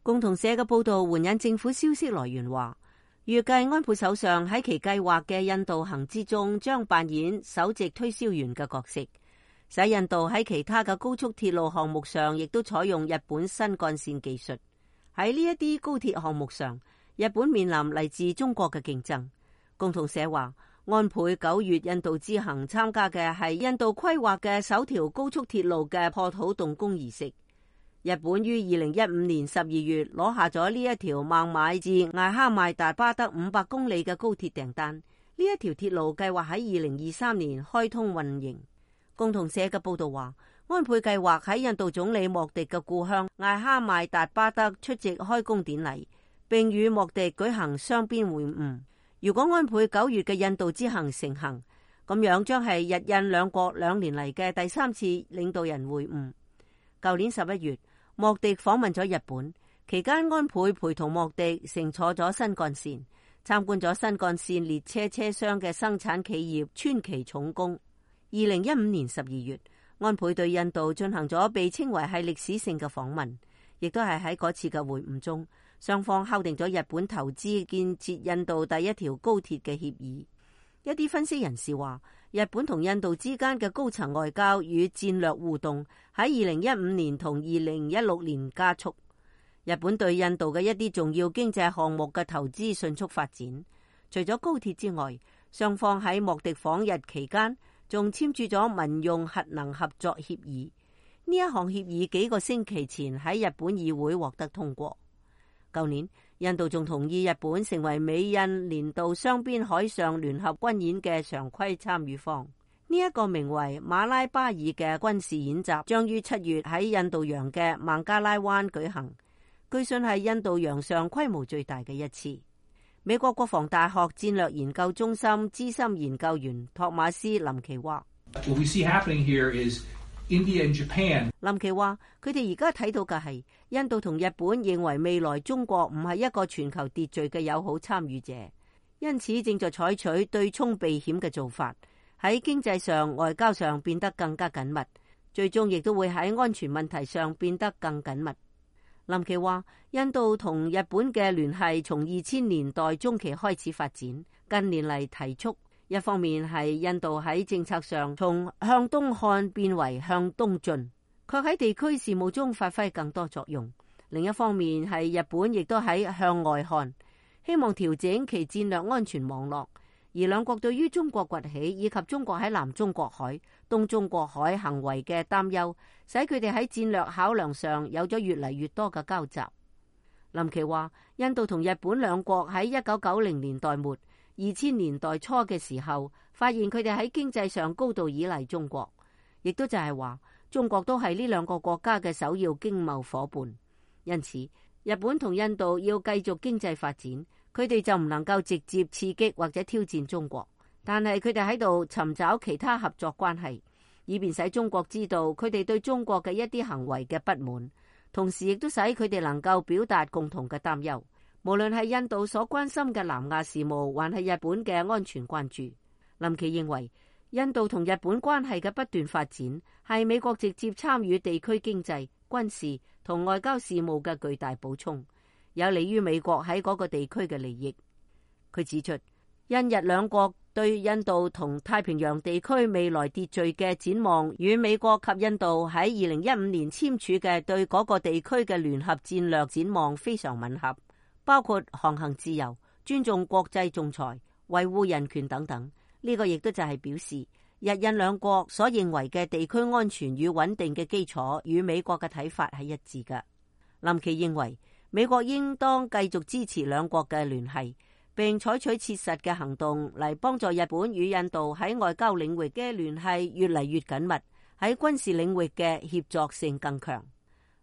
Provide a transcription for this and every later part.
共同社嘅報道援引政府消息來源話，預計安倍首相喺其計劃嘅印度行之中將扮演首席推銷員嘅角色，使印度喺其他嘅高速鐵路項目上亦都採用日本新幹線技術。喺呢一啲高鐵項目上，日本面臨嚟自中國嘅競爭。共同社話，安倍9月印度之行參加嘅係印度規劃嘅首條高速鐵路嘅破土動工儀式。日本於2015年12月攞下咗呢一條孟買至艾哈邁大巴德500公里嘅高鐵訂單。呢一條鐵路計劃喺2023年開通運營。共同社嘅報道話，安倍計劃喺印度總理莫迪嘅故鄉艾哈邁達巴德出席開工典禮，並與莫迪舉行雙邊會晤。如果安倍9月嘅印度之行成行，咁樣將係日印兩國2年嚟嘅第3次領導人會晤。舊年11月，莫迪訪問咗日本，期間安倍陪同莫迪乘坐咗新幹線，參觀咗新幹線列車車廂嘅生產企業川崎重工。2015年12月，安倍對印度進行咗被稱為係歷史性嘅訪問，亦都係喺嗰次嘅會晤中，雙方敲定咗日本投資建設印度第一條高鐵嘅協議。一啲分析人士話，日本同印度之間嘅高層外交與戰略互動喺2015年同2016年加速。日本對印度嘅一啲重要經濟項目嘅投資迅速發展。除咗高鐵之外，雙方喺莫迪訪日期間仲簽署咗民用核能合作協議。呢一項協議幾個星期前喺日本議會獲得通過。舊年，印度仲同意日本成為美印年度雙邊海上聯合軍演嘅常規參與方。呢一個名為馬拉巴爾嘅軍事演習將於7月喺印度洋嘅孟加拉灣舉行，據信係印度洋上規模最大嘅一次。美國國防大學戰略研究中心資深研究員托馬斯林奇話：What we see happening here is India and Japan。林奇話：佢哋而家睇到嘅係印度同日本認為未來中國唔係一個全球秩序嘅友好參與者，因此正在採取對沖避險嘅做法，喺經濟上、外交上變得更加緊密，最終亦都會喺安全問題上變得更緊密。林奇話：印度同日本嘅聯繫從2000年代中期開始發展，近年嚟提速。一方面係印度喺政策上從向東看變為向東進，卻喺地區事務中發揮更多作用。另一方面係日本亦都喺向外看，希望調整其戰略安全網絡。而兩國對於中國崛起以及中國喺南中國海、東中國海行為嘅擔憂，使佢哋喺戰略考量上有咗越嚟越多嘅交集。林奇話：印度同日本兩國喺1990年代末、2000年代初嘅時候，發現佢哋喺經濟上高度依賴中國，亦都就係話中國都係呢兩個國家嘅首要經貿夥伴。因此，日本同印度要繼續經濟發展，佢哋就唔能夠直接刺激或者挑戰中國，但係佢哋喺度尋找其他合作關係，以便使中國知道佢哋對中國嘅一啲行為嘅不滿，同時亦都使佢哋能夠表達共同嘅擔憂。無論係印度所關心嘅南亞事務，還係日本嘅安全關注，林奇認為印度同日本關係嘅不斷發展係美國直接參與地區經濟、軍事同外交事務嘅巨大補充，有利於美國喺嗰個地區嘅利益。佢指出，印日兩國對印度同太平洋地區未來秩序嘅展望，與美國及印度喺2015年簽署嘅對嗰個地區嘅聯合戰略展望非常吻合，包括航行自由、尊重國際仲裁、維護人權等等。呢個亦都就係表示，日印兩國所認為嘅地區安全與穩定嘅基礎，與美國嘅睇法係一致嘅。林奇認為，美國應當繼續支持兩國嘅聯繫，並採取切實嘅行動嚟幫助日本與印度喺外交領域嘅聯繫越嚟越緊密，喺軍事領域嘅協作性更強。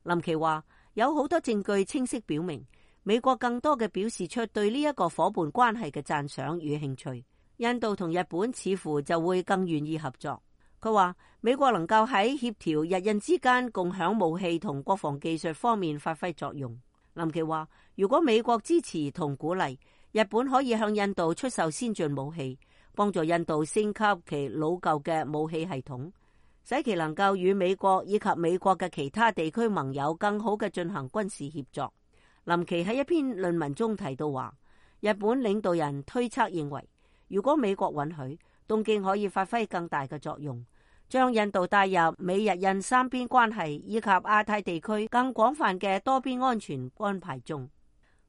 林奇話，有好多證據清晰表明，美國更多嘅表示出對呢一個夥伴關係嘅讚賞與興趣，印度同日本似乎就會更願意合作。佢話美國能夠喺協調日印之間共享武器同國防技術方面發揮作用。林奇話，如果美國支持同鼓勵，日本可以向印度出售先進武器，幫助印度升級其老舊嘅武器系統，使其能夠與美國以及美國嘅其他地區盟友更好嘅進行軍事協作。林奇喺一篇論文中提到話，日本領導人推測認為，如果美國允許，東京可以發揮更大嘅作用，將印度帶入美日印三邊關係以及亞太地區更廣泛嘅多邊安全安排中。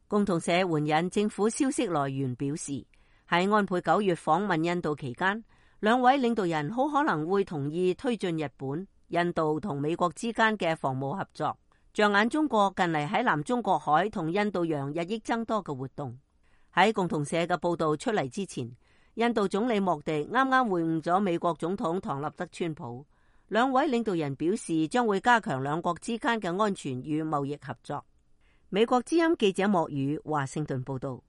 共同社援引政府消息來源表示，喺安倍9月訪問印度期間，兩位領導人好可能會同意推進日本、印度同美國之間嘅防務合作，着眼中國近嚟喺南中國海同印度洋日益增多嘅活動。喺共同社嘅報導出嚟之前，印度總理莫迪啱啱會晤咗美國總統唐納德川普，兩位領導人表示將會加強兩國之間嘅安全與貿易合作。美國之音記者莫宇華盛頓報道。